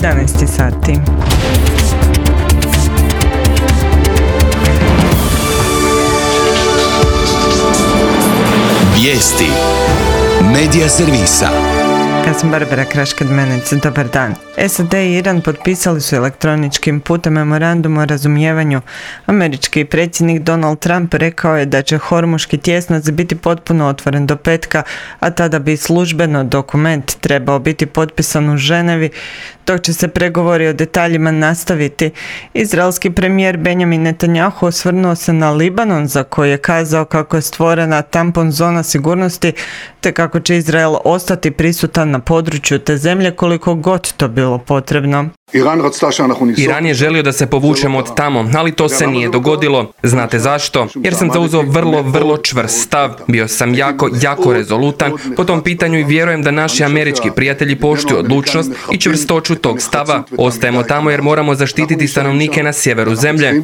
11 sati. Vijesti Medija servisa. Ja sam Barbara Kraškad-Menec, dobar dan. SAD i Iran potpisali su elektroničkim putem memorandum o razumijevanju. Američki predsjednik Donald Trump rekao je da će Hormuški tjesnac biti potpuno otvoren do petka, a tada bi službeno dokument trebao biti potpisan u Ženevi, dok će se pregovori o detaljima nastaviti. Izraelski premijer Benjamin Netanjahu osvrnuo se na Libanon, za koji je kazao kako je stvorena tampon zona sigurnosti, te kako će Izrael ostati prisutan na području te zemlje koliko god to bilo potrebno. Iran je želio da se povučemo od tamo, ali to se nije dogodilo. Znate zašto? Jer sam zauzeo vrlo čvrst stav. Bio sam jako rezolutan po tom pitanju i vjerujem da naši američki prijatelji poštuju odlučnost i čvrstoću tog stava. Ostajemo tamo jer moramo zaštititi stanovnike na sjeveru zemlje.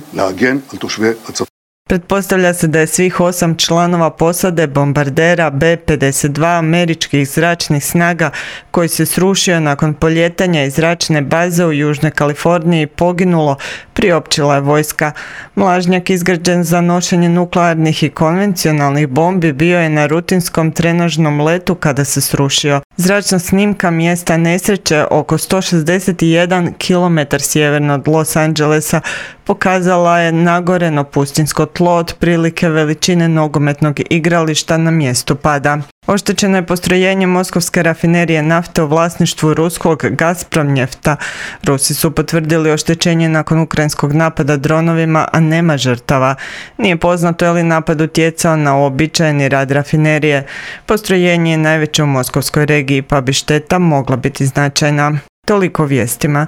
Pretpostavlja se da je svih 8 članova posade bombardera B-52 američkih zračnih snaga koji se srušio nakon poljetanja iz zračne baze u Južnoj Kaliforniji poginulo, priopćila je vojska. Mlažnjak izgrađen za nošenje nuklearnih i konvencionalnih bombi bio je na rutinskom trenažnom letu kada se srušio. Zračna snimka mjesta nesreće oko 161 km sjeverno od Los Angelesa pokazala je nagoreno pustinsko tlo otprilike veličine nogometnog igrališta na mjestu pada. Oštećeno je postrojenje moskovske rafinerije nafte u vlasništvu ruskog Gazpromnjefta. Rusi su potvrdili oštećenje nakon ukrajinskog napada dronovima, a nema žrtava. Nije poznato je li napad utjecao na uobičajeni rad rafinerije. Postrojenje je najveće u moskovskoj regiji, pa bi šteta mogla biti značajna. Toliko vijestima.